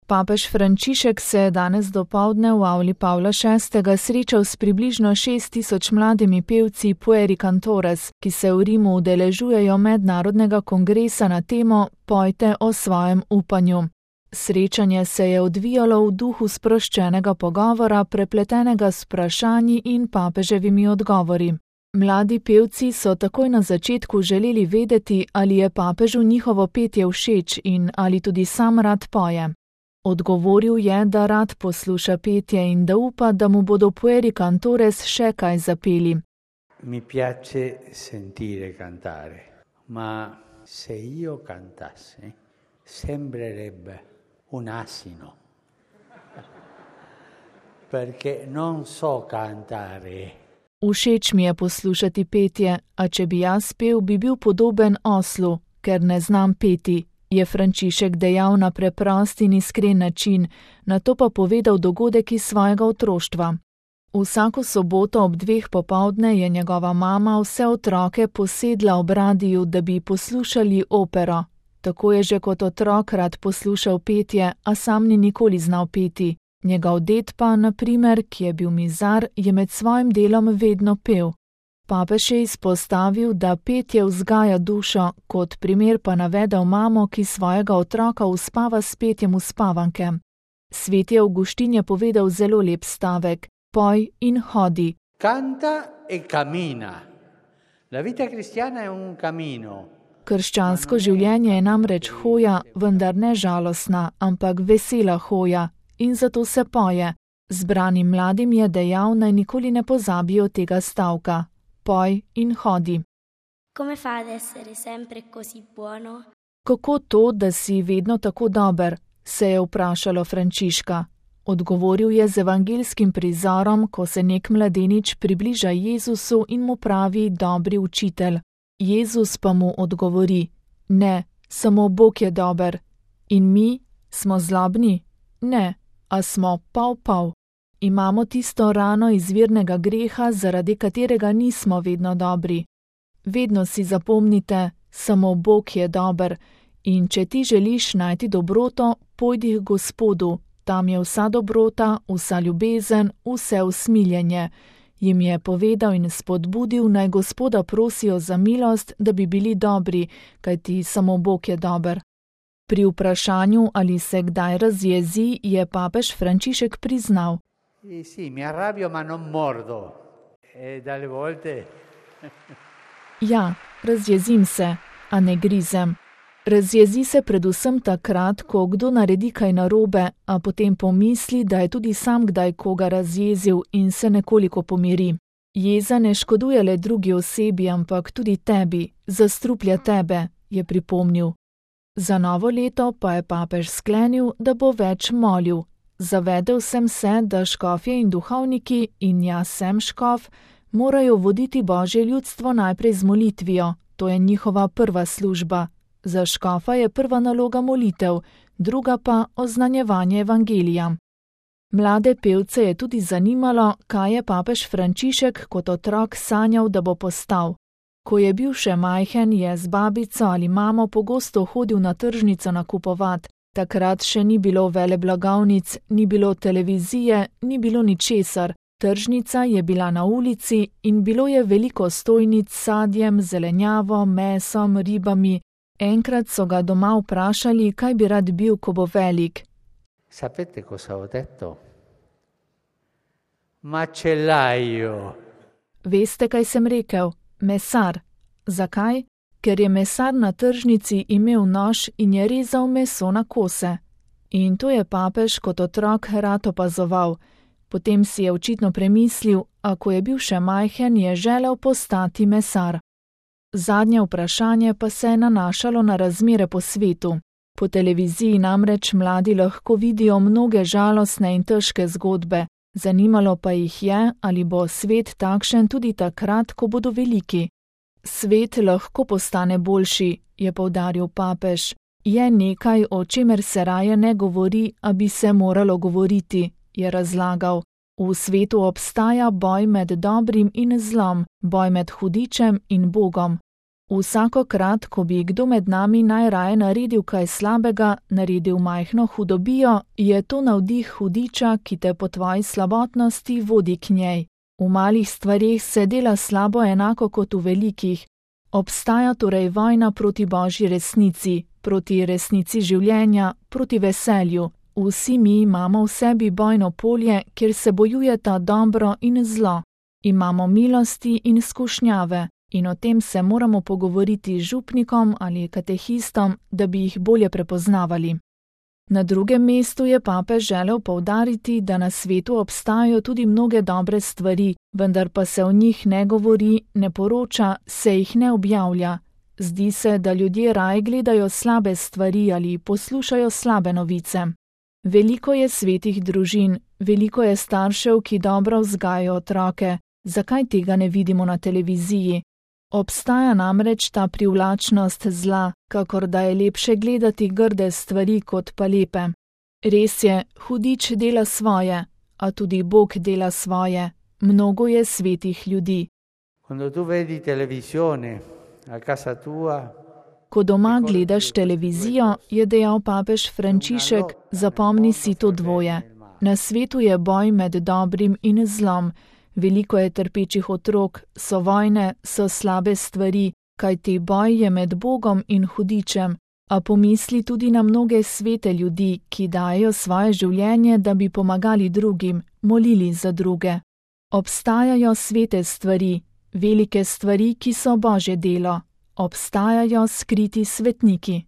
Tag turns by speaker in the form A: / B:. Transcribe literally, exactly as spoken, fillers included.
A: Papež Frančišek se je danes dopoldne v avli Pavla šestega srečal s približno šest tisoč mladimi pevci Pueri Cantores, ki se v Rimu udeležujejo mednarodnega kongresa na temo Pojte o svojem upanju. Srečanje se je odvijalo v duhu sproščenega pogovora, prepletenega s vprašanji in papeževimi odgovori. Mladi pevci so takoj na začetku želeli vedeti, ali je papežu njihovo petje všeč in ali tudi sam rad poje. Odgovoril je, da rad posluša petje in da upa, da mu bodo Pueri Cantores še kaj zapeli.
B: Mi piace sentire cantare, ma se io cantasse, sembrerebbe un asino, perché non so cantare.
A: Všeč mi je poslušati petje, a če bi jaz pel, bi bil podoben oslu, ker ne znam peti, je Frančišek dejal na preprost in iskren način, nato pa povedal dogodek iz svojega otroštva. Vsako soboto ob dveh popoldne je njegova mama vse otroke posedla ob radiju, da bi poslušali opero. Tako je že kot otrok rad poslušal petje, a sam ni nikoli znal peti. Njegov ded pa, na primer, ki je bil mizar, je med svojim delom vedno pel. Papež je izpostavil, da petje vzgaja dušo, kot primer pa navedel mamo, ki svojega otroka uspava s petjem uspavanke. Sveti Avguštin je povedal zelo lep stavek: poj in hodi.
B: Canta e cammina. La vita cristiana è un cammino.
A: Krščansko življenje je namreč hoja, vendar ne žalostna, ampak vesela hoja, in zato se poje. Zbranim mladim je dejal, naj nikoli ne pozabijo tega stavka: poj in hodi.
C: Come fa ad essere sempre così buono?
A: Kako to, da si vedno tako dober, se je vprašalo Frančiška. Odgovoril je z evangeljskim prizorom, ko se nek mladenič približa Jezusu in mu pravi: dobri učitelj. Jezus pa mu odgovori: ne, samo Bog je dober. In mi smo zlobni? Ne, a smo pol-pol. Imamo tisto rano izvirnega greha, zaradi katerega nismo vedno dobri. Vedno si zapomnite, samo Bog je dober, in če ti želiš najti dobroto, pojdi k Gospodu, tam je vsa dobrota, vsa ljubezen, vse usmiljenje. Jim je povedal in spodbudil, naj Gospoda prosijo za milost, da bi bili dobri, kajti samo Bog je dober. Pri vprašanju, ali se kdaj razjezi, je papež Frančišek priznal:
B: Sì, sì, mi arrabbio ma non mordo. E dalle volte...
A: Ja, razjezim se, a ne grizem. Razjezi se predvsem takrat, ko kdo naredi kaj narobe, a potem pomisli, da je tudi sam kdaj koga razjezil in se nekoliko pomiri. Jeza ne škoduje le drugi osebi, ampak tudi tebi, zastruplja tebe, je pripomnil. Za novo leto pa je papež sklenil, da bo več molil. Zavedel sem se, da škofje in duhovniki, in jaz sem škof, morajo voditi Božje ljudstvo najprej z molitvijo, to je njihova prva služba. Za škofa je prva naloga molitev, druga pa oznanjevanje evangelija. Mlade pevce je tudi zanimalo, kaj je papež Frančišek kot otrok sanjal, da bo postal. Ko je bil še majhen, je z babico ali mamo pogosto hodil na tržnico nakupovat. Takrat še ni bilo veleblagovnic, ni bilo televizije, ni bilo ničesar. Tržnica je bila na ulici in bilo je veliko stojnic s sadjem, zelenjavo, mesom, ribami. Enkrat so ga doma vprašali, kaj bi rad bil, ko bo velik.
B: Sapete cosa ho detto? Macellaio.
A: Veste, kaj sem rekel? Mesar. Zakaj? Ker je mesar na tržnici imel nož in je rezal meso na kose. In to je papež kot otrok rad opazoval. Potem si je očitno premislil, a ko je bil še majhen, je želel postati mesar. Zadnje vprašanje pa se je nanašalo na razmere po svetu. Po televiziji namreč mladi lahko vidijo mnoge žalostne in težke zgodbe. Zanimalo pa jih je, ali bo svet takšen tudi takrat, ko bodo veliki. Svet lahko postane boljši, je poudaril papež. Je nekaj, o čemer se raje ne govori, a bi se moralo govoriti, je razlagal. V svetu obstaja boj med dobrim in zlom, boj med hudičem in Bogom. Vsakokrat, ko bi kdo med nami najraje naredil kaj slabega, naredil majhno hudobijo, je to navdih hudiča, ki te po tvoji slabotnosti vodi k njej. V malih stvareh se dela slabo enako kot v velikih. Obstaja torej vojna proti božji resnici, proti resnici življenja, proti veselju. Vsi mi imamo v sebi bojno polje, kjer se bojujeta dobro in zlo. Imamo milosti in skušnjave. In o tem se moramo pogovoriti z župnikom ali katehistom, da bi jih bolje prepoznavali. Na drugem mestu je papež želel poudariti, da na svetu obstajajo tudi mnoge dobre stvari, vendar pa se o njih ne govori, ne poroča, se jih ne objavlja. Zdi se, da ljudje raje gledajo slabe stvari ali poslušajo slabe novice. Veliko je svetih družin, veliko je staršev, ki dobro vzgajajo otroke. Zakaj tega ne vidimo na televiziji? Obstaja namreč ta privlačnost zla, kakor da je lepše gledati grde stvari kot pa lepe. Res je, hudič dela svoje, a tudi Bog dela svoje. Mnogo je svetih ljudi. Ko doma gledaš televizijo, je dejal papež Frančišek, zapomni si to dvoje. Na svetu je boj med dobrim in zlom. Veliko je trpečih otrok, so vojne, so slabe stvari, kajti boj je med Bogom in hudičem, a pomisli tudi na mnoge svete ljudi, ki dajo svoje življenje, da bi pomagali drugim, molili za druge. Obstajajo svete stvari, velike stvari, ki so Božje delo. Obstajajo skriti svetniki.